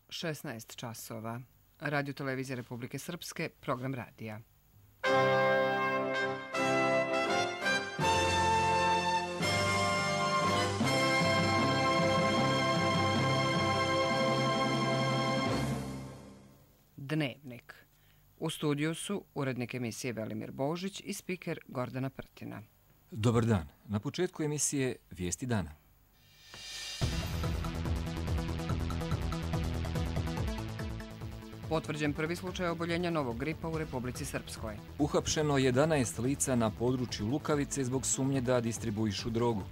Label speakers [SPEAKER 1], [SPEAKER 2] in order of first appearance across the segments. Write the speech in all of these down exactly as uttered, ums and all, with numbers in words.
[SPEAKER 1] šesnaest časova. Radio Televizija Republike Srpske, program radija. Dnevnik. U studiju su urednik emisije Velimir Božić i spiker Gordana Prtina.
[SPEAKER 2] Dobar dan. Na početku emisije Vijesti dana.
[SPEAKER 1] Potvrđen prvi slučaj oboljenja novog gripa u Republici Srpskoj.
[SPEAKER 2] Uhapšeno jedanaest lica na području Lukavice zbog sumnje da distribuišu drogu.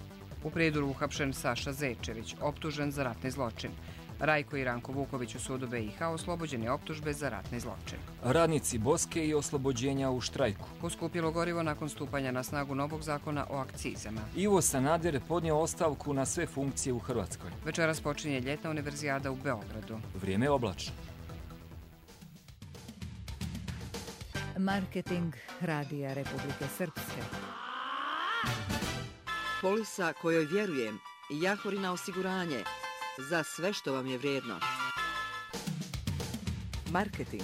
[SPEAKER 1] U Prijedoru uhapšen Saša Zečević, optužen za ratni zločin. Rajko i Ranko Vuković u sudu B i H oslobođeni optužbe za ratni zločin.
[SPEAKER 2] Radnici Boske i oslobođenja u štrajku.
[SPEAKER 1] Poskupilo gorivo nakon stupanja na snagu novog zakona o akcizama.
[SPEAKER 2] Ivo Sanader podnio ostavku na sve funkcije u Hrvatskoj.
[SPEAKER 1] Večeras počinje ljetna univerzijada u Beogradu.
[SPEAKER 2] Vrijeme je oblačno.
[SPEAKER 3] Marketing Radija Republike Srpske.
[SPEAKER 4] Polisa kojoj vjerujem. Jahorina osiguranje. Za sve što vam je vrijedno. Marketing.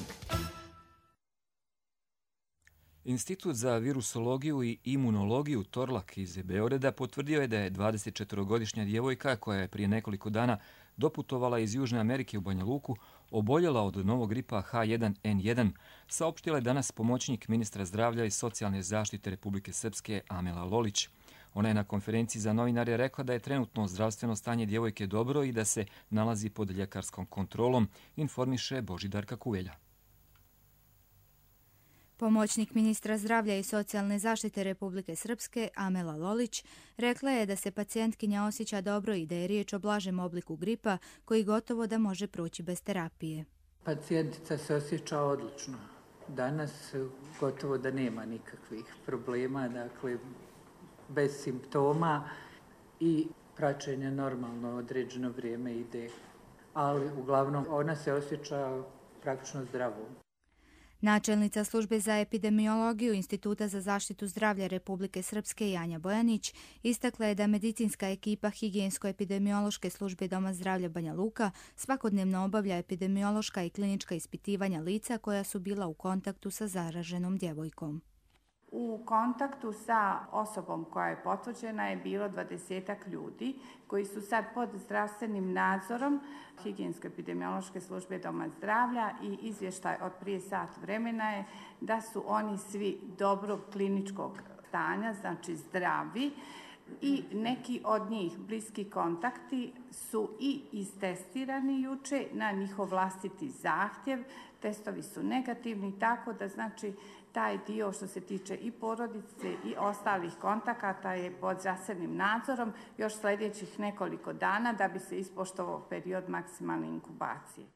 [SPEAKER 2] Institut za virusologiju i imunologiju Torlak iz Beograda potvrdio je da je dvadesetčetvorogodišnja djevojka koja je prije nekoliko dana doputovala iz Južne Amerike u Banja Luku oboljela od novog gripa H jedan N jedan, saopštila je danas pomoćnik ministra zdravlja i socijalne zaštite Republike Srpske Amela Lolić. Ona je na konferenciji za novinare rekla da je trenutno zdravstveno stanje djevojke dobro i da se nalazi pod ljekarskom kontrolom, informiše Božidarka Kuvelja.
[SPEAKER 5] Pomoćnik ministra zdravlja i socijalne zaštite Republike Srpske Amela Lolić rekla je da se pacijentkinja osjeća dobro i da je riječ o blažem obliku gripa koji gotovo da može proći bez terapije.
[SPEAKER 6] Pacijentica se osjeća odlično. Danas gotovo da nema nikakvih problema, dakle bez simptoma i praćenje normalno određeno vrijeme ide. Ali uglavnom ona se osjeća praktično zdravo.
[SPEAKER 5] Načelnica službe za epidemiologiju Instituta za zaštitu zdravlja Republike Srpske Janja Bojanić istakla je da medicinska ekipa higijensko-epidemiološke službe Doma zdravlja Banja Luka svakodnevno obavlja epidemiološka i klinička ispitivanja lica koja su bila u kontaktu sa zaraženom djevojkom.
[SPEAKER 7] U kontaktu sa osobom koja je potvrđena je bilo dvadesetak ljudi koji su sad pod zdravstvenim nadzorom higijensko-epidemiološke službe Doma zdravlja i izvještaj od prije sat vremena je da su oni svi dobrog kliničkog stanja, znači zdravi, i neki od njih bliski kontakti su i istestirani juče na njihov vlastiti zahtjev. Testovi su negativni, tako da znači taj dio što se tiče i porodice i ostalih kontakata je pod zdravstvenim nadzorom još sljedećih nekoliko dana da bi se ispoštovao period maksimalne inkubacije.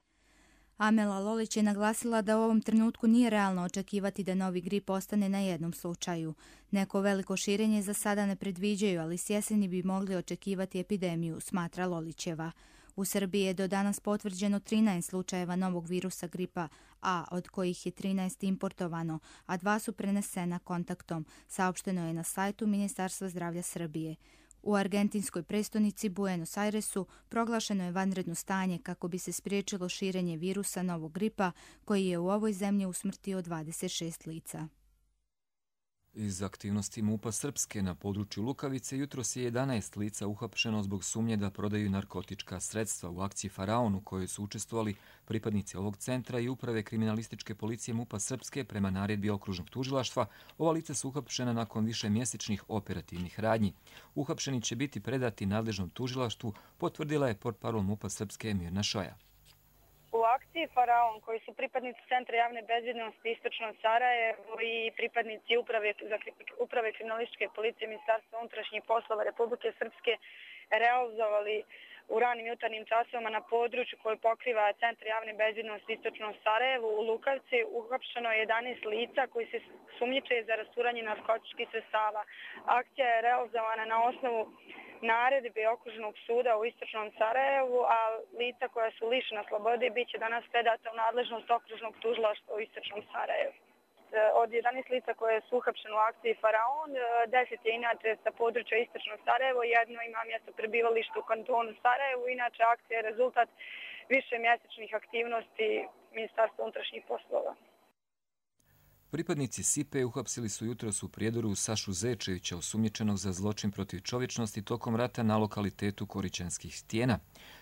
[SPEAKER 5] Amela Lolić je naglasila da u ovom trenutku nije realno očekivati da novi grip ostane na jednom slučaju. Neko veliko širenje za sada ne predviđaju, ali s jeseni bi mogli očekivati epidemiju, smatra Lolićeva. U Srbiji je do danas potvrđeno trinaest slučajeva novog virusa gripa A, od kojih je trinaest importovano, a dva su prenesena kontaktom, saopšteno je na sajtu Ministarstva zdravlja Srbije. U argentinskoj prestonici Buenos Airesu proglašeno je vanredno stanje kako bi se spriječilo širenje virusa novog gripa koji je u ovoj zemlji usmrtio dvadeset šest lica.
[SPEAKER 2] Iz aktivnosti MUP-a Srpske na području Lukavice jutros je jedanaest lica uhapšeno zbog sumnje da prodaju narkotička sredstva u akciji Faraon u kojoj su učestvovali pripadnici ovog centra i uprave kriminalističke policije MUP-a Srpske prema naredbi okružnog tužilaštva. Ova lica su uhapšena nakon više mjesečnih operativnih radnji. Uhapšeni će biti predati nadležnom tužilaštvu, potvrdila je portparol MUP-a Srpske Mirna Šoja.
[SPEAKER 8] U akciji Faraon, koji su pripadnici Centra javne bezbjednosti Istočno Sarajevo i pripadnici uprave, za, uprave kriminalističke policije Ministarstva unutrašnjih poslova Republike Srpske realizovali u ranim jutarnjim časovima na području koje pokriva Centar javne bezbjednosti Istočno Sarajevo u Lukavci uhapšeno je jedanaest lica koji se sumnjiče za rasturanje narkotičkih sredstava. Akcija je realizovana na osnovu naredbe okružnog suda u Istočnom Sarajevu, a lica koja su lišena slobode bit će danas predata u nadležnost okružnog tužilaštva u Istočnom Sarajevu. Od jedanaest lica koje su uhapšene u akciji Faraon, deset je inače sa područja Istočnog Sarajevo, jedno ima mjesto prebivalište u kantonu Sarajevu. Inače, akcija je rezultat više mjesečnih aktivnosti Ministarstva unutrašnjih poslova.
[SPEAKER 2] Pripadnici S I P E uhapsili su jutros u Prijedoru Sašu Zečevića, osumnjičenog za zločin protiv čovječnosti tokom rata na lokalitetu Koričanskih stijena.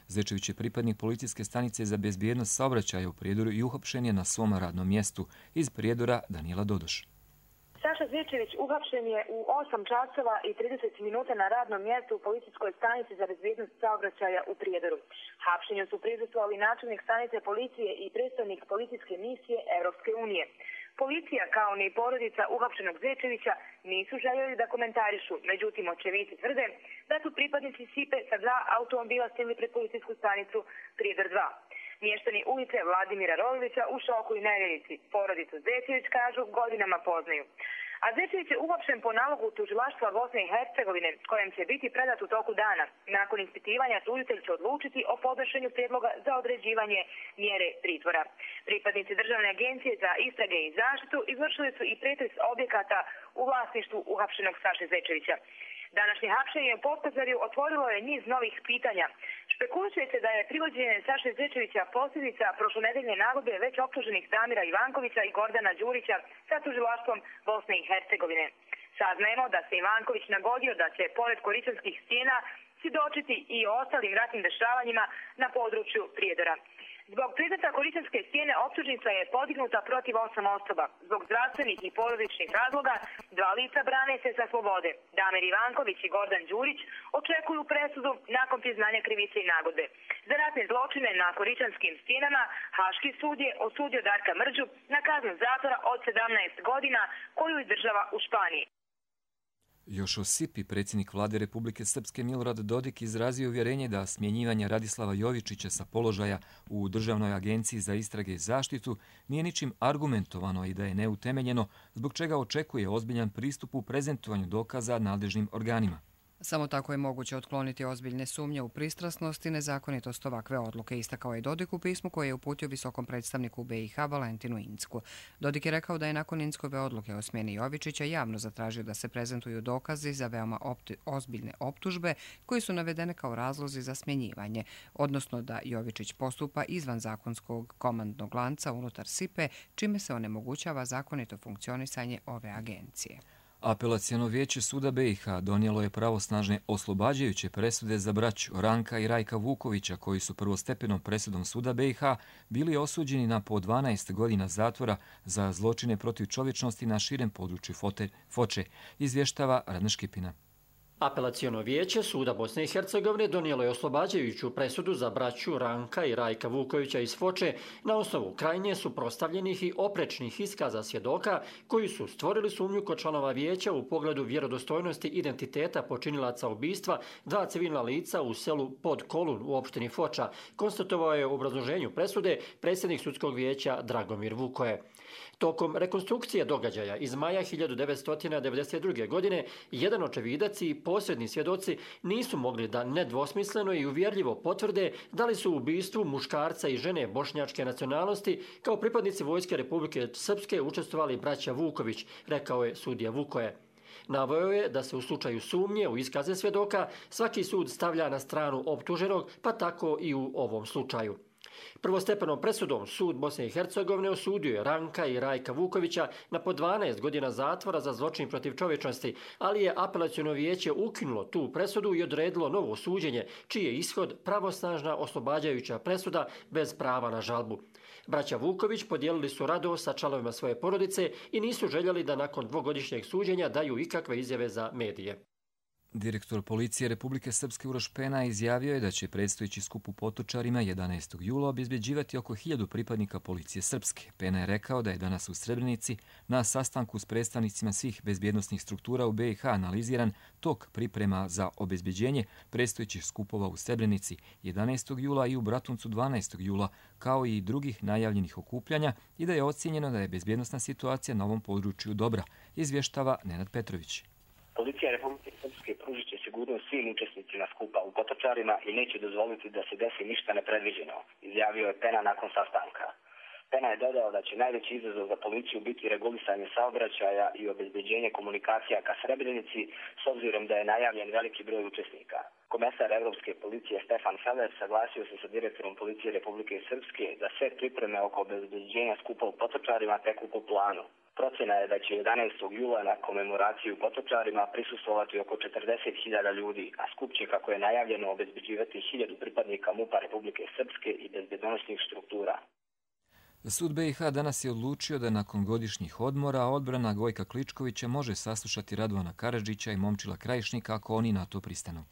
[SPEAKER 2] Zečević je pripadnik policijske stanice za bezbjednost saobraćaja u Prijedoru i uhapšen je na svom radnom mjestu. Iz Prijedora Danijela Dodoš.
[SPEAKER 9] Saša Zečević uhapšen je u osam časova i trideset minuta na radnom mjestu u policijskoj stanici za bezbjednost saobraćaja u Prijedoru. Hapšenju su prisustvovali načelnik stanice policije i predstavnik policijske misije Europske unije. Policija, kao ni porodica uhapšenog Zečevića, nisu željeli da komentarišu, međutim očevici tvrde da su pripadnici S I P E sa dva automobila stigli pred policijsku stanicu Prijedor dva. Mještani ulice Vladimira Roglića u šoku i nevjerici. Porodicu Zečević, kažu, godinama poznaju. A Zečević je uhapšen po nalogu tužilaštva Bosne i Hercegovine, kojem će biti predat u toku dana. Nakon ispitivanja tužitelj će odlučiti o podnošenju prijedloga za određivanje mjere pritvora. Pripadnici Državne agencije za istrage i zaštitu izvršili su i pretres objekata u vlasništvu uhapšenog Saše Zečevića. Današnje hapšenje u Potkozarju otvorilo je niz novih pitanja. Špekuluje se da je privođenje Saše Zečevića posljedica prošlonedeljne nagodbe već optuženih Damira Ivankovića i Gordana Đurića sa tužilaštvom Bosne i Hercegovine. Saznajemo da se Ivanković nagodio da će pored Koričanskih stijena svjedočiti i o ostalim ratnim dešavanjima na području Prijedora. Zbog predmeta Koričanske stijene optužnica je podignuta protiv osam osoba. Zbog zdravstvenih i porodičnih razloga dva lica brane se sa slobode. Damir Ivanković i Gordan Đurić očekuju presudu nakon priznanja krivice i nagodbe. Za ratne zločine na Koričanskim stijenama Haški sud je osudio Darka Mrđu na kaznu zatvora od sedamnaest godina koju izdržava u Španiji.
[SPEAKER 2] Još o S I P I predsjednik vlade Republike Srpske Milorad Dodik izrazio uvjerenje da smjenjivanje Radislava Jovičića sa položaja u Državnoj agenciji za istrage i zaštitu nije ničim argumentovano i da je neutemeljeno, zbog čega očekuje ozbiljan pristup u prezentovanju dokaza nadležnim organima.
[SPEAKER 1] Samo tako je moguće otkloniti ozbiljne sumnje u pristrasnost i nezakonitost ovakve odluke, istakao je Dodik u pismu koje je uputio visokom predstavniku B i H Valentinu Incku. Dodik je rekao da je nakon Inckove odluke o smjeni Jovičića javno zatražio da se prezentuju dokazi za veoma opti, ozbiljne optužbe koji su navedene kao razlozi za smjenjivanje, odnosno da Jovičić postupa izvan zakonskog komandnog lanca unutar S I P E, čime se onemogućava zakonito funkcionisanje ove agencije.
[SPEAKER 2] Apelaciono vijeće suda B i H donijelo je pravosnažne oslobađajuće presude za braću Ranka i Rajka Vukovića, koji su prvostepenom presudom suda B i H bili osuđeni na po dvanaest godina zatvora za zločine protiv čovječnosti na širem području Foče, izvještava Radna Škipina.
[SPEAKER 10] Apelaciono vijeće suda Bosne i Hercegovine donijelo je oslobađajuću presudu za braću Ranka i Rajka Vukovića iz Foče na osnovu krajnje suprotstavljenih i oprečnih iskaza svjedoka koji su stvorili sumnju kod članova vijeća u pogledu vjerodostojnosti identiteta počinilaca ubistva dva civilna lica u selu Pod Kolun u opštini Foča, konstatovao je u obrazloženju presude predsjednik sudskog vijeća Dragomir Vukoje. Tokom rekonstrukcije događaja iz maja hiljadu devetsto devedeset druge. godine jedan očevidac i posredni svjedoci nisu mogli da nedvosmisleno i uvjerljivo potvrde da li su u ubistvu muškarca i žene bošnjačke nacionalnosti kao pripadnici Vojske Republike Srpske učestvovali braća Vuković, rekao je sudija Vukoje. Naveo je da se u slučaju sumnje u iskaze svjedoka svaki sud stavlja na stranu optuženog, pa tako i u ovom slučaju. Prvostepenom presudom sud Bosne i Hercegovine osudio je Ranka i Rajka Vukovića na po dvanaest godina zatvora za zločin protiv čovječnosti, ali je apelaciono vijeće ukinulo tu presudu i odredilo novo suđenje, čiji je ishod pravosnažna oslobađajuća presuda bez prava na žalbu. Braća Vuković podijelili su radost sa članovima svoje porodice i nisu željeli da nakon dvogodišnjeg suđenja daju ikakve izjave za medije.
[SPEAKER 2] Direktor policije Republike Srpske Uroš Pena izjavio je da će predstojeći skup u Potočarima jedanaestog jula obezbeđivati oko hiljadu pripadnika policije Srpske. Pena je rekao da je danas u Srebrenici na sastanku s predstavnicima svih bezbjednosnih struktura u B i H analiziran tok priprema za obezbeđenje predstojećih skupova u Srebrenici jedanaestog jula i u Bratuncu dvanaestog jula, kao i drugih najavljenih okupljanja, i da je ocjenjeno da je bezbjednosna situacija na ovom području dobra, izvještava Nenad Petrović.
[SPEAKER 11] Policija Republike Srpske pružit će sigurnost svim učesnicima skupa u Potočarima i neće dozvoliti da se desi ništa nepredviđeno, izjavio je Pena nakon sastanka. Pena je dodao da će najveći izazov za policiju biti regulisanje saobraćaja i obezbeđenje komunikacija ka Srebrenici, s obzirom da je najavljen veliki broj učesnika. Komesar Evropske policije Stefan Feller saglasio se sa direktorom Policije Republike Srpske da sve pripreme oko obezbeđenja skupa u Potočarima teku po planu. Procena je da će jedanaestog jula na komemoraciju u Potočarima prisustvovati oko četrdeset hiljada ljudi, a skup će, kako je najavljeno, obezbeđivati hiljadu pripadnika MUP-a Republike Srpske i bezbednosnih struktura.
[SPEAKER 2] Sud B i H danas je odlučio da nakon godišnjih odmora odbrana Gojka Kličkovića može saslušati Radovana Karadžića i Momčila Krajišnika ako oni na to pristanu.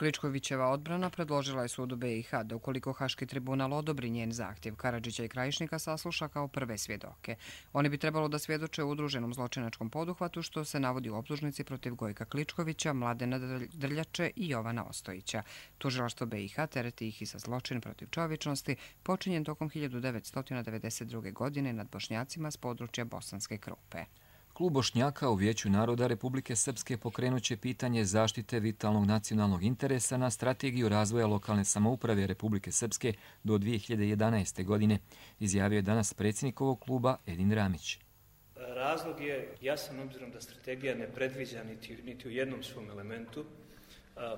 [SPEAKER 1] Kličkovićeva odbrana predložila je sudu B i H da ukoliko Haški tribunal odobri njen zahtjev, Karadžića i Krajišnika sasluša kao prve svjedoke. Oni bi trebalo da svjedoče u udruženom zločinačkom poduhvatu što se navodi u optužnici protiv Gojka Kličkovića, Mladena Drljače i Jovana Ostojića. Tužilaštvo B i H tereti ih i za zločin protiv čovječnosti počinjen tokom hiljadu devetsto devedeset druge. godine nad Bošnjacima s područja Bosanske Krupe.
[SPEAKER 2] Klub Bošnjaka u Vijeću naroda Republike Srpske pokrenut će pitanje zaštite vitalnog nacionalnog interesa na strategiju razvoja lokalne samouprave Republike Srpske do dvije hiljade jedanaeste. godine, izjavio je danas predsjednik ovog kluba Edin Ramić.
[SPEAKER 12] Razlog je jasan obzirom da strategija ne predviđa niti, niti u jednom svom elementu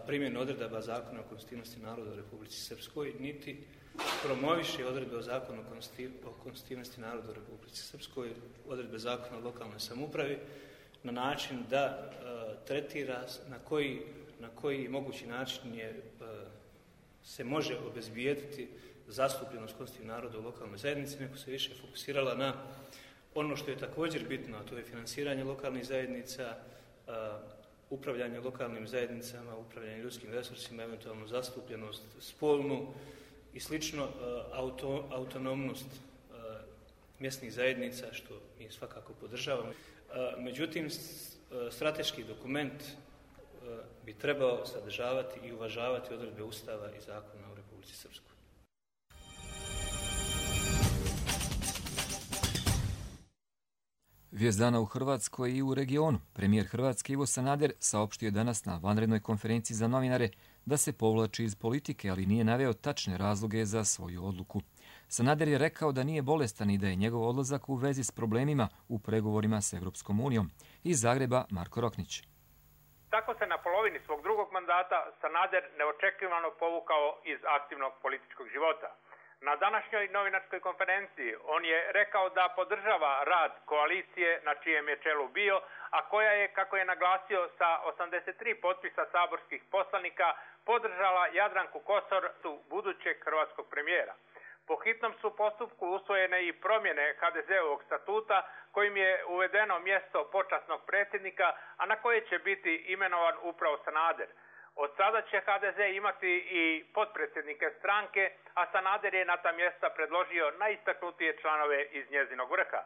[SPEAKER 12] primjenu odredaba Zakona o konstitutivnosti naroda u Republici Srpskoj, niti promoviše odredbe o Zakonu o konstitutivnosti naroda u Republici Srpskoj, odredbe Zakona o lokalnoj samoupravi, na način da uh, tretira na koji, na koji mogući način je, uh, se može obezbijediti zastupljenost konstitutivnog naroda u lokalnoj zajednici, nego se više fokusirala na ono što je također bitno, a to je finansiranje lokalnih zajednica, uh, upravljanje lokalnim zajednicama, upravljanje ljudskim resursima, eventualno zastupljenost spolnu i slično, auto, autonomnost mjesnih zajednica, što mi svakako podržavamo. Međutim, strateški dokument bi trebao sadržavati i uvažavati odredbe Ustava i zakona u Republici Srpskoj.
[SPEAKER 2] Vijest dana u Hrvatskoj i u regionu. Premijer Hrvatske Ivo Sanader saopštio je danas na vanrednoj konferenciji za novinare da se povlači iz politike, ali nije naveo tačne razloge za svoju odluku. Sanader je rekao da nije bolestan i da je njegov odlazak u vezi s problemima u pregovorima s Evropskom unijom. Iz Zagreba Marko Roknić.
[SPEAKER 13] Tako se na polovini svog drugog mandata Sanader neočekivano povukao iz aktivnog političkog života. Na današnjoj novinarskoj konferenciji on je rekao da podržava rad koalicije na čijem je čelu bio, a koja je, kako je naglasio, sa osamdeset tri potpisa saborskih poslanika podržala Jadranku Kosor, budućeg hrvatskog premijera. Po hitnom su postupku usvojene i promjene ha de zeovog statuta kojim je uvedeno mjesto počasnog predsjednika, a na koje će biti imenovan upravo Sanader. Od sada će ha de ze imati i potpredsjednike stranke, a Sanader je na ta mjesta predložio najistaknutije članove iz njezinog vrha.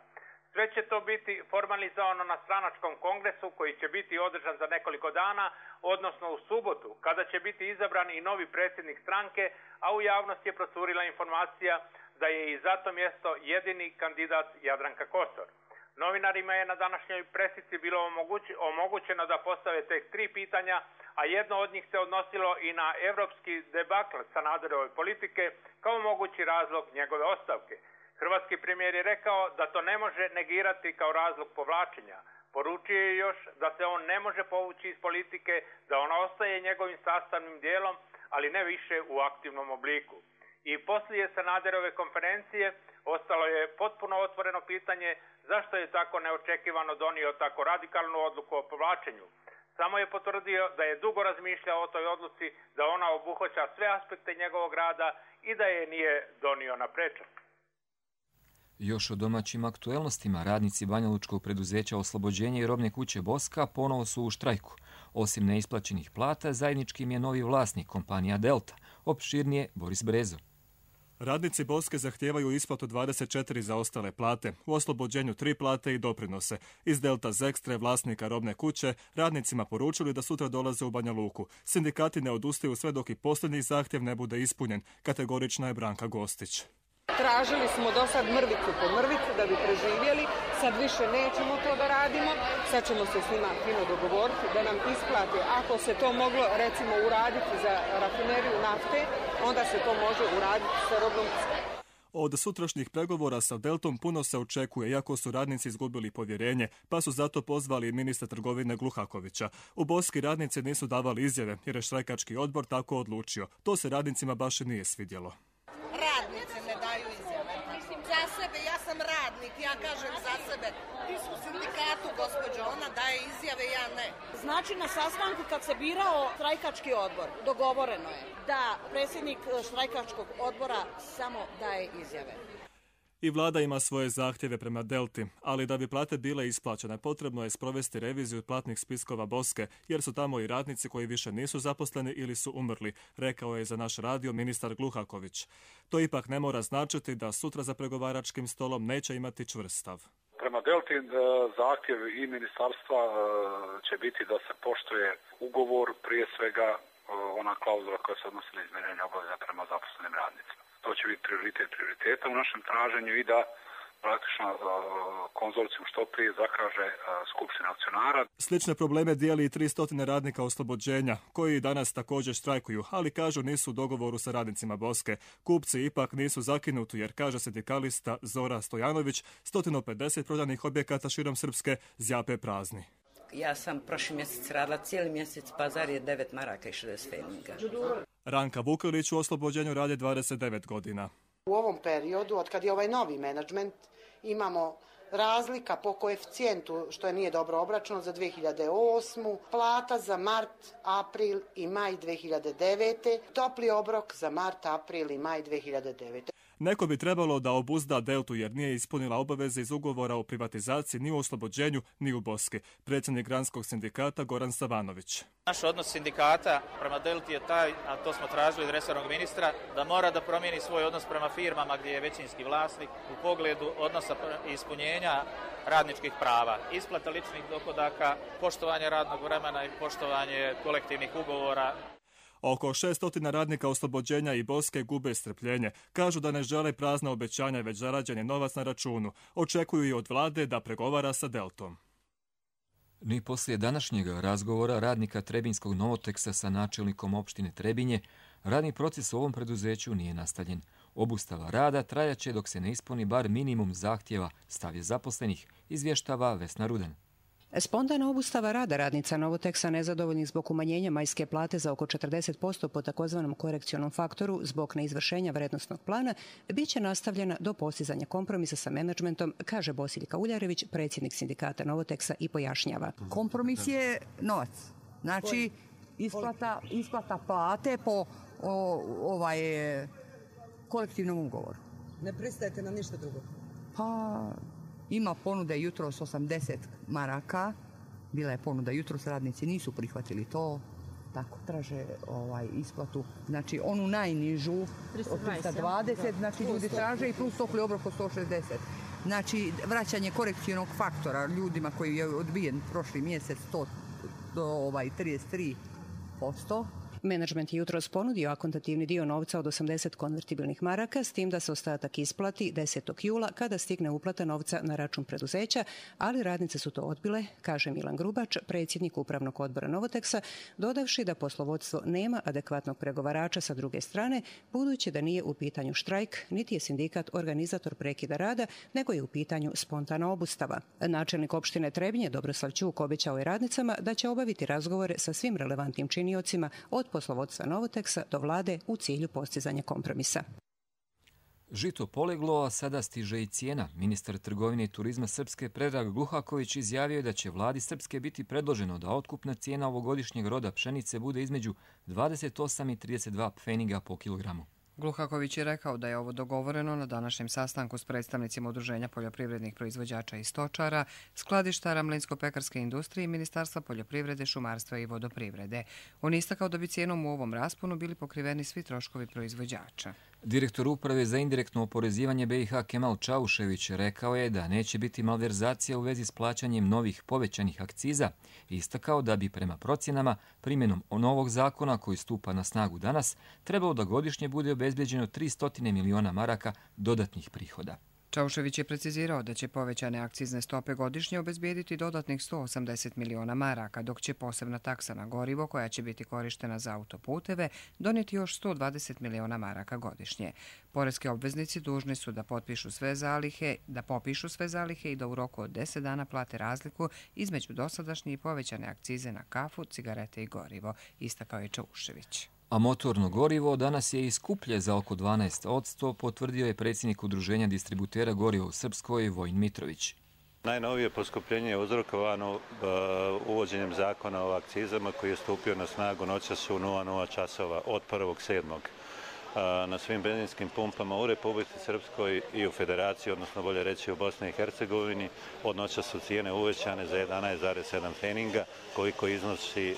[SPEAKER 13] Sve će to biti formalizovano na stranačkom kongresu koji će biti održan za nekoliko dana, odnosno u subotu, kada će biti izabran i novi predsjednik stranke, a u javnosti je procurila informacija da je i za to mjesto jedini kandidat Jadranka Kosor. Novinarima je na današnjoj presici bilo omogućeno da postave tek tri pitanja, a jedno od njih se odnosilo i na evropski debakl Sanaderove politike kao mogući razlog njegove ostavke. Hrvatski premijer je rekao da to ne može negirati kao razlog povlačenja. Poručio je još da se on ne može povući iz politike, da ona ostaje njegovim sastavnim dijelom, ali ne više u aktivnom obliku. I poslije Sanaderove konferencije ostalo je potpuno otvoreno pitanje zašto je tako neočekivano donio tako radikalnu odluku o povlačenju. Samo je potvrdio da je dugo razmišljao o toj odluci, da ona obuhvaća sve aspekte njegovog rada i da je nije donio na prečac.
[SPEAKER 2] Još o domaćim aktuelnostima, radnici banjalučkog preduzeća Oslobođenje i robne kuće Boska ponovo su u štrajku. Osim neisplaćenih plata, zajednički im je novi vlasnik, kompanija Delta. Opširnije Boris Brezo.
[SPEAKER 14] Radnici Boske zahtijevaju isplatu dvadeset četiri zaostale plate, u Oslobođenju tri plate i doprinose. Iz Delta Zekstre, vlasnika robne kuće, radnicima poručili da sutra dolaze u Banja Luku. Sindikati ne odustaju sve dok i posljednji zahtjev ne bude ispunjen, kategorična je Branka Gostić.
[SPEAKER 15] Tražili smo do sad mrvicu po mrvicu da bi preživjeli, sad više nećemo to da radimo, sad ćemo se s njima fino dogovoriti da nam isplate. Ako se to moglo recimo uraditi za rafineriju nafte, onda se to može uraditi sa robnom.
[SPEAKER 14] Od sutrašnjih pregovora sa Deltom puno se očekuje, iako su radnici izgubili povjerenje, pa su zato pozvali ministra trgovine Gluhakovića. U Boski radnici nisu davali izjave, jer je štrajkački odbor tako odlučio. To se radnicima baš i nije svidjelo.
[SPEAKER 16] Radnice ne daju izjave. Za sebe, ja sam radnik, ja kažem za sebe. Ti su u sindikatu, gospođo, ona daje izjave, ja ne.
[SPEAKER 17] Znači, na sastanku kad se birao štrajkački odbor, dogovoreno je da predsjednik štrajkačkog odbora samo daje izjave.
[SPEAKER 14] I vlada ima svoje zahtjeve prema Delti, ali da bi plate bile isplaćene, potrebno je sprovesti reviziju platnih spiskova Boske, jer su tamo i radnici koji više nisu zaposleni ili su umrli, rekao je za naš radio ministar Gluhaković. To ipak ne mora značiti da sutra za pregovaračkim stolom neće imati čvrst stav.
[SPEAKER 18] Prema Delti zahtjev i ministarstva će biti da se poštuje ugovor, prije svega ona klauzula koja se odnosi na izmirenje obaveza prema zaposlenim radnicima. To će biti prioritet prioriteta u našem traženju i da praktično konzorcijum što prije zakaže skupština akcionara.
[SPEAKER 14] Slične probleme dijeli i tristo radnika oslobođenja, koji danas također štrajkuju, ali kažu nisu u dogovoru sa radnicima Boske. Kupci ipak nisu zakinuti, jer kaže sindikalista Zora Stojanović, sto pedeset prodanih objekata širom Srpske zjape prazni.
[SPEAKER 19] Ja sam prošli mjesec radila cijeli mjesec, pazar je devet maraka i šezdeset feninga.
[SPEAKER 14] Ranka Vukelić u oslobođenju radi dvadeset devet godina.
[SPEAKER 20] U ovom periodu, od kad je ovaj novi menadžment, imamo razlika po koeficijentu, što je nije dobro obračunano, za dvije hiljade osmu, plata za mart, april i maj dvije hiljade devete, topli obrok za mart, april i maj dvije hiljade devete.
[SPEAKER 14] Neko bi trebalo da obuzda Deltu jer nije ispunila obaveze iz ugovora o privatizaciji ni u oslobođenju ni u Boski. Predsjednik Granskog sindikata Goran Savanović.
[SPEAKER 21] Naš odnos sindikata prema Delti je taj, a to smo tražili od resornog ministra, da mora da promijeni svoj odnos prema firmama gdje je većinski vlasnik u pogledu odnosa ispunjenja radničkih prava, isplata ličnih dohodaka, poštovanje radnog vremena i poštovanje kolektivnih ugovora.
[SPEAKER 14] Oko šesto radnika oslobođenja i Boske gube strpljenje. Kažu da ne žele prazna obećanja, već zarađen je novac na računu. Očekuju i od vlade da pregovara sa Deltom.
[SPEAKER 2] Ni poslije današnjeg razgovora radnika Trebinskog Novoteksa sa načelnikom opštine Trebinje, radni proces u ovom preduzeću nije nastavljen. Obustava rada trajaće dok se ne ispuni bar minimum zahtjeva, stav je zaposlenih, izvještava Vesna Rudan.
[SPEAKER 22] Spontana obustava rada radnica Novoteksa nezadovoljnih zbog umanjenja majske plate za oko četrdeset posto po takozvanom korekcionom faktoru zbog neizvršenja vrednostnog plana bit će nastavljena do postizanja kompromisa sa menadžmentom, kaže Bosiljka Uljarević, predsjednik sindikata Novoteksa, i pojašnjava.
[SPEAKER 23] Kompromis je novac. Znači, isplata, isplata plate po o, ovaj, kolektivnom ugovoru.
[SPEAKER 22] Ne pristajete na ništa drugo?
[SPEAKER 23] Pa... Ima ponude jutros osamdeset maraka, bila je ponuda jutros, radnici nisu prihvatili to, tako traže ovaj, isplatu, znači onu najnižu trista dvadeset, znači ljudi traže i plus topli obrok od sto šezdeset. Znači vraćanje korekcijnog faktora ljudima koji je odbijen prošli mjesec sto trideset tri posto.
[SPEAKER 22] Menadžment je jutros ponudio akontativni dio novca od osamdeset konvertibilnih maraka, s tim da se ostatak isplati desetog jula kada stigne uplata novca na račun preduzeća, ali radnice su to odbile, kaže Milan Grubač, predsjednik upravnog odbora Novoteksa, dodavši da poslovodstvo nema adekvatnog pregovarača sa druge strane, budući da nije u pitanju štrajk, niti je sindikat organizator prekida rada, nego je u pitanju spontana obustava. Načelnik opštine Trebinje Dobroslav Ćuk obećao je radnicama da će obaviti razgovore sa svim relevantnim činiocima od poslovodstva Novoteksa do vlade u cilju postizanja kompromisa.
[SPEAKER 2] Žito poleglo, a sada stiže i cijena. Ministar trgovine i turizma Srpske Predrag Gluhaković izjavio je da će vladi Srpske biti predloženo da otkupna cijena ovogodišnjeg roda pšenice bude između dvadeset osam i trideset dva pfeniga po kilogramu.
[SPEAKER 1] Gluhaković je rekao da je ovo dogovoreno na današnjem sastanku s predstavnicima Udruženja poljoprivrednih proizvođača i stočara, skladištara mlinsko-pekarske industrije i Ministarstva poljoprivrede, šumarstva i vodoprivrede. On istakao da bi cijenom u ovom rasponu bili pokriveni svi troškovi proizvođača.
[SPEAKER 2] Direktor uprave za indirektno oporezivanje B i H Kemal Čaušević rekao je da neće biti malverzacija u vezi s plaćanjem novih povećanih akciza i istakao da bi prema procjenama primjenom novog zakona koji stupa na snagu danas trebalo da godišnje bude obezbeđeno tristo miliona maraka dodatnih prihoda.
[SPEAKER 1] Čaušević je precizirao da će povećane akcizne stope godišnje obezbijediti dodatnih sto osamdeset miliona maraka, dok će posebna taksa na gorivo, koja će biti korištena za autoputeve, donijeti još sto dvadeset miliona maraka godišnje. Poreski obveznici dužni su da potpišu sve zalihe, da popišu sve zalihe i da u roku od deset dana plate razliku između dosadašnje i povećane akcize na kafu, cigarete i gorivo, istakao je Čaušević.
[SPEAKER 2] A motorno gorivo danas je i skuplje za oko dvanaest posto, potvrdio je predsjednik Udruženja distributera goriva u Srpskoj, Vojin Mitrović.
[SPEAKER 3] Najnovije poskupljenje je uzrokovano uh, uvođenjem zakona o akcizama koji je stupio na snagu noćas u nula nula časova od prvog sedmog na svim benzinskim pumpama u Republici Srpskoj i u Federaciji, odnosno bolje reći u Bosni i Hercegovini. Od noća su cijene uvećane za jedanaest zarez sedam feninga, koliko iznosi e,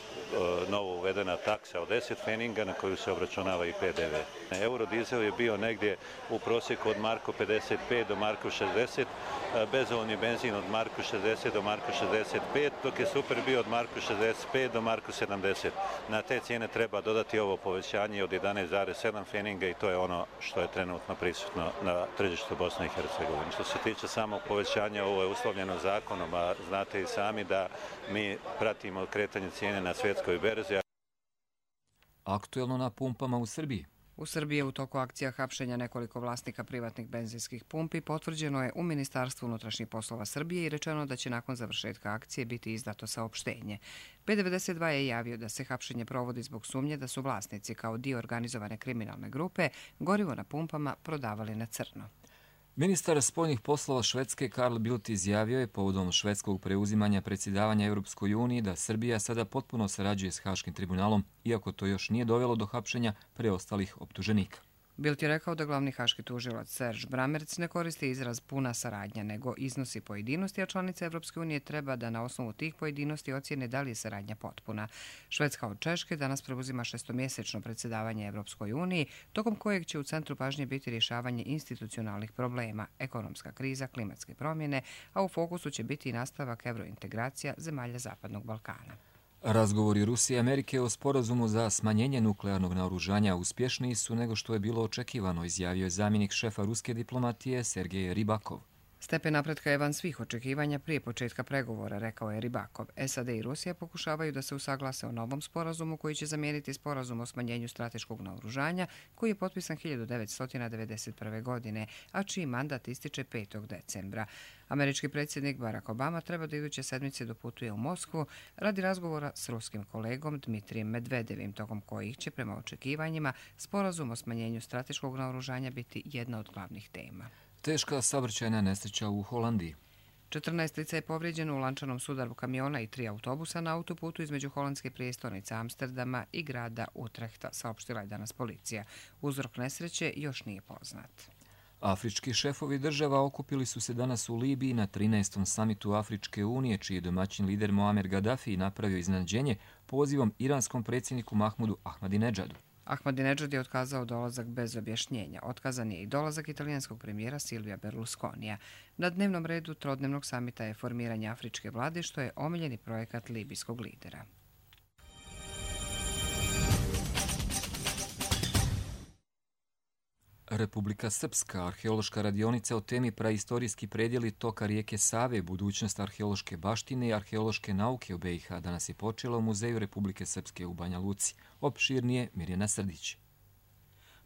[SPEAKER 3] novo uvedena taksa od deset feninga na koju se obračunava i P D V. Eurodizel je bio negdje u prosjeku od marku pedeset pet do marku šezdeset, bezolovni benzin od marku šezdeset do marku šezdeset pet, dok je super bio od marku šezdeset pet do marku sedamdeset. Na te cijene treba dodati ovo povećanje od jedanaest zarez sedam feninga i to je ono što je trenutno prisutno na tržištu Bosne i Hercegovine. Što se tiče samog povećanja, ovo je uslovljeno zakonom, a znate i sami da mi pratimo kretanje cijene na svjetskoj berzi.
[SPEAKER 2] Aktuelno na pumpama u Srbiji.
[SPEAKER 1] U Srbiji je u toku akcija hapšenja nekoliko vlasnika privatnih benzinskih pumpi potvrđeno je u Ministarstvu unutrašnjih poslova Srbije i rečeno da će nakon završetka akcije biti izdato saopštenje. P devedeset dva je javio da se hapšenje provodi zbog sumnje da su vlasnici kao dio organizovane kriminalne grupe gorivo na pumpama prodavali na crno.
[SPEAKER 2] Ministar spoljnih poslova Švedske Carl Bildt izjavio je povodom švedskog preuzimanja predsjedavanja Europskoj uniji da Srbija sada potpuno sarađuje s Haškim tribunalom, iako to još nije dovelo do hapšenja preostalih optuženika.
[SPEAKER 1] Bildt je rekao da glavni haški tužilac Serge Brammertz ne koristi izraz puna saradnja, nego iznosi pojedinosti, a članice Evropske unije treba da na osnovu tih pojedinosti ocjene da li je saradnja potpuna. Švedska od Češke danas preuzima šestomjesečno predsjedavanje Evropskoj uniji, tokom kojeg će u centru pažnje biti rješavanje institucionalnih problema, ekonomska kriza, klimatske promjene, a u fokusu će biti i nastavak evrointegracija zemalja Zapadnog Balkana.
[SPEAKER 2] Razgovori Rusije i Amerike o sporazumu za smanjenje nuklearnog naoružanja uspješniji su nego što je bilo očekivano, izjavio je zamjenik šefa ruske diplomatije Sergej Ribakov.
[SPEAKER 1] Stepen napretka je van svih očekivanja prije početka pregovora, rekao je Ribakov. S A D i Rusija pokušavaju da se usaglase o novom sporazumu koji će zamijeniti sporazum o smanjenju strateškog naoružanja koji je potpisan hiljadu devetsto devedeset prve. godine, a čiji mandat ističe petog decembra. Američki predsjednik Barack Obama treba da iduće sedmice doputuje u Moskvu radi razgovora s ruskim kolegom Dmitrijem Medvedevim, tokom kojih će prema očekivanjima sporazum o smanjenju strateškog naoružanja biti jedna od glavnih tema.
[SPEAKER 2] Teška saobraćajna nesreća u Holandiji.
[SPEAKER 1] četrnaest lica je povrijeđeno u lančanom sudaru kamiona i tri autobusa na autoputu između holandske prijestolnice Amsterdama i grada Utrehta, saopštila je danas policija. Uzrok nesreće još nije poznat.
[SPEAKER 2] Afrički šefovi država okupili su se danas u Libiji na trinaestom samitu Afričke unije, čiji je domaćin lider Muammar Gaddafi napravio iznenađenje pozivom iranskom predsjedniku Mahmudu Ahmadinedžadu.
[SPEAKER 1] Ahmadinedžad je otkazao dolazak bez objašnjenja. Otkazan je i dolazak italijanskog premijera Silvija Berlusconija. Na dnevnom redu trodnevnog samita je formiranje afričke vlade, što je omiljeni projekat libijskog lidera.
[SPEAKER 2] Republika Srpska, arheološka radionica o temi praistorijski predjeli toka rijeke Save, budućnost arheološke baštine i arheološke nauke u B i H danas je počela u Muzeju Republike Srpske u Banja Luci. Opširnije Mirjana Srdić.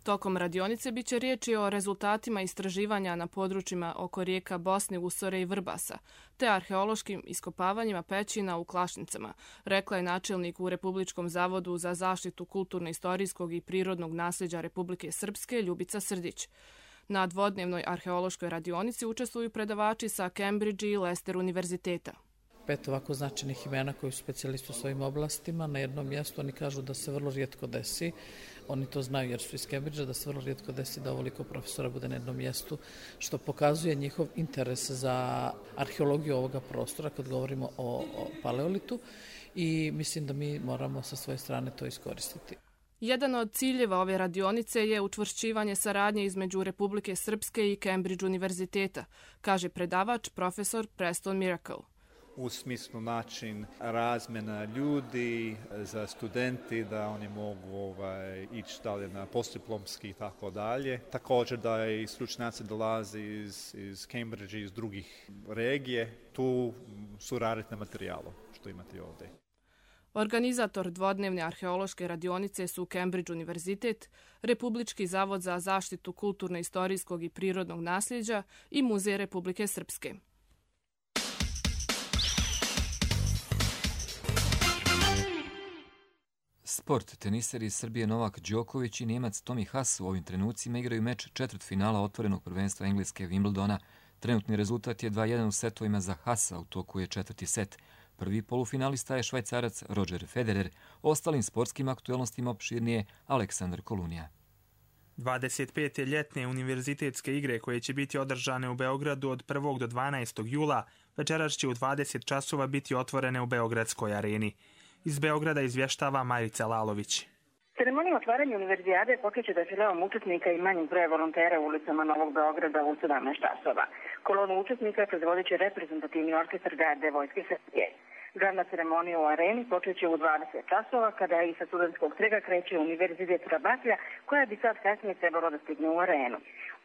[SPEAKER 4] Tokom radionice biće riječi o rezultatima istraživanja na područjima oko rijeka Bosne, Usore i Vrbasa, te arheološkim iskopavanjima pećina u Klašnicama, rekla je načelnik u Republičkom zavodu za zaštitu kulturno-istorijskog i prirodnog nasljeđa Republike Srpske Ljubica Srdić. Na dvodnevnoj arheološkoj radionici učestvuju predavači sa Cambridge i Leicester univerziteta.
[SPEAKER 6] Pet ovako značajnih imena koji su specijalisti u svojim oblastima na jednom mjestu. Oni kažu da se vrlo rijetko desi, oni to znaju jer su iz Cambridgea, da se vrlo rijetko desi da ovoliko profesora bude na jednom mjestu, što pokazuje njihov interes za arheologiju ovoga prostora kad govorimo o, o paleolitu i mislim da mi moramo sa svoje strane to iskoristiti.
[SPEAKER 4] Jedan od ciljeva ove radionice je učvršćivanje saradnje između Republike Srpske i Cambridge univerziteta, kaže predavač profesor Preston Miracle.
[SPEAKER 5] u smislu način razmjena ljudi za studenti, da oni mogu ovaj, ići dalje na postdiplomski i tako dalje. Također da i stručnjaci dolaze iz, iz Cambridge i iz drugih regije, tu su raditi na materijalu što imate ovdje.
[SPEAKER 4] Organizator dvodnevne arheološke radionice su Cambridge univerzitet, Republički zavod za zaštitu kulturno-istorijskog i prirodnog nasljeđa i Muzej Republike Srpske.
[SPEAKER 2] Sport. Teniseri iz Srbije Novak Đoković i Njemac Tommy Haas u ovim trenucima igraju meč četvrtfinala otvorenog prvenstva Engleske Wimbledona. Trenutni rezultat je dva jedan u setovima za Haasa, u toku je četvrti set. Prvi polufinalista je Švajcarac Roger Federer, ostalim sportskim aktuelnostima opširnije Aleksandar Kolunija.
[SPEAKER 7] dvadeset pete ljetne univerzitetske igre koje će biti održane u Beogradu od prvog do dvanaestog jula večeras će u dvadeset časova biti otvorene u Beogradskoj areni. Iz Beograda izvještava Marica Lalović.
[SPEAKER 9] Ceremonija otvaranja univerzijade počeće defileom učesnika i manjim broje volontera u ulicama Novog Beograda u sedamnaest časova. Kolonu učesnika predvodit će reprezentativni orkestar Garde vojske Srbije. Glavna ceremonija u areni počeće u dvadeset časova, kada i sa studentskog trega kreće Univerzitet Rabatlja, koja bi sad kasnije trebalo da stigne u arenu.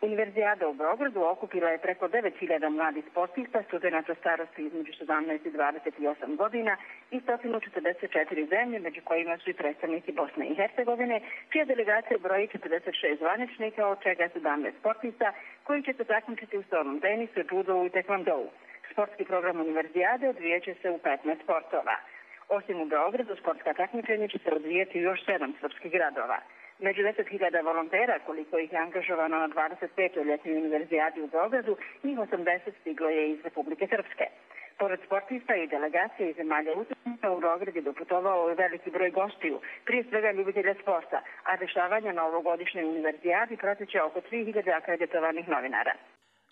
[SPEAKER 9] Univerzijada u Beogradu okupila je preko devet hiljada mladih sportista, studenta starosti između sedamnaest i dvadeset osam godina i sto četrdeset četiri zemlje, među kojima su i predstavnici Bosne i Hercegovine, čija delegacija broji četrdeset šest zvaničnika, od čega sedamnaest sportista, koji će se takmičiti u stolnom tenisu, judovu i tekvandou. Sportski program univerzijade odvijeće se u petnaest sportova. Osim u Beogradu, sportska takmičenja će se odvijeti u još sedam srpskih gradova. Među deset hiljada volontera, koliko ih je angažovano na dvadeset petoj ljetnoj univerzijadi u Beogradu, njih osamdeset stiglo je iz Republike Srpske. Pored sportista i delegacije iz zemalja učesnika, u Beograd je doputovao i veliki broj gostiju, prije svega ljubitelja sporta, a dešavanja na ovogodišnjoj univerzijadi prateće oko tri hiljade akreditovanih novinara.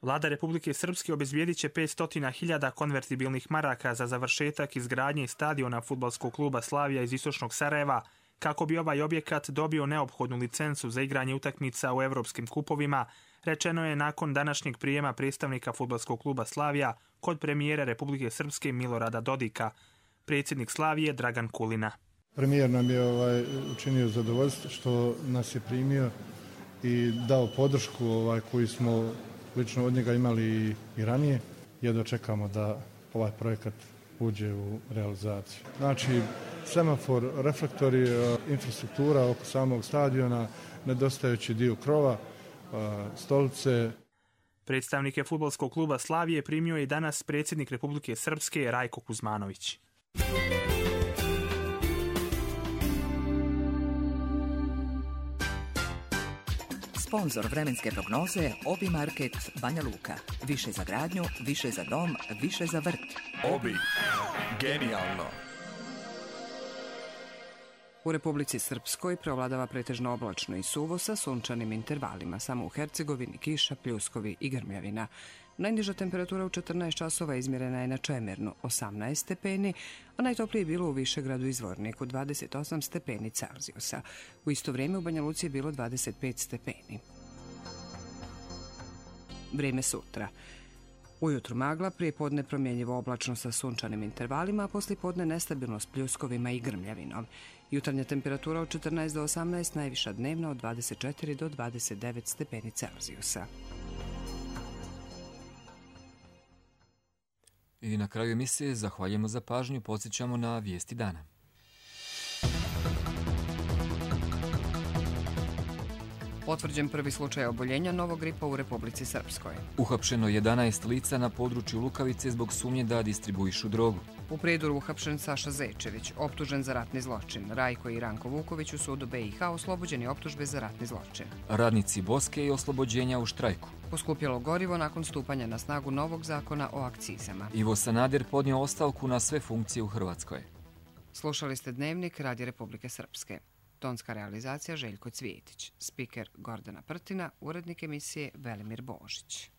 [SPEAKER 7] Vlada Republike Srpske obezbijedit će petsto hiljada konvertibilnih maraka za završetak izgradnje stadiona fudbalskog kluba Slavija iz istočnog Sarajeva, kako bi ovaj objekat dobio neophodnu licencu za igranje utakmica u evropskim kupovima, rečeno je nakon današnjeg prijema predstavnika fudbalskog kluba Slavija kod premijera Republike Srpske Milorada Dodika. Predsjednik Slavije Dragan Kulina.
[SPEAKER 8] Premijer nam je ovaj, učinio zadovoljstvo što nas je primio i dao podršku ovaj, koju smo lično od njega imali i, i ranije. Jedno čekamo da ovaj projekat uđe u realizaciju. Znači, semafor, reflektori, infrastruktura oko samog stadiona, nedostajući dio krova, stolice.
[SPEAKER 7] Predstavnike fudbalskog kluba Slavije primio je i danas predsjednik Republike Srpske Rajko Kuzmanović.
[SPEAKER 24] Sponzor vremenske prognoze Obi Market Banja Luka. Više za gradnju, više za dom, više za vrt.
[SPEAKER 25] Obi. Genijalno.
[SPEAKER 1] U Republici Srpskoj preovladava pretežno oblačno i suvo sa sunčanim intervalima. Samo u Hercegovini kiša, pljuskovi i grmljavina. Najniža temperatura u četrnaest časova izmjerena je na Čemernu osamnaest stepeni, a najtoplije je bilo u Višegradu i Zvorniku dvadeset osam stepeni Celzijusa. U isto vrijeme u Banja Luci je bilo dvadeset pet stepeni. Vrijeme sutra. Ujutru magla, prije podne promjenjivo oblačno sa sunčanim intervalima, a poslije podne nestabilno s pljuskovima i grmljavinom. Jutarnja temperatura od četrnaest do osamnaest, najviša dnevna od dvadeset četiri do dvadeset devet stepeni Celzijusa.
[SPEAKER 2] I na kraju emisije zahvaljujemo za pažnju, podsjećamo na vijesti dana.
[SPEAKER 1] Potvrđen prvi slučaj oboljenja novog gripa u Republici Srpskoj.
[SPEAKER 2] Uhapšeno jedanaest lica na području Lukavice zbog sumnje da distribuišu drogu.
[SPEAKER 1] U Prijedoru uhapšen Saša Zečević, optužen za ratni zločin. Rajko i Ranko Vuković u sudu B i H oslobođeni optužbe za ratni zločin.
[SPEAKER 2] Radnici Boske i oslobođenja u štrajku.
[SPEAKER 1] Poskupjelo gorivo nakon stupanja na snagu novog zakona o akcizama.
[SPEAKER 2] Ivo Sanader podnio ostavku na sve funkcije u Hrvatskoj.
[SPEAKER 1] Slušali ste Dnevnik Radija Republike Srpske. Tonska realizacija Željko Cvijetić. Spiker Gordana Prtina, urednik emisije Velimir Božić.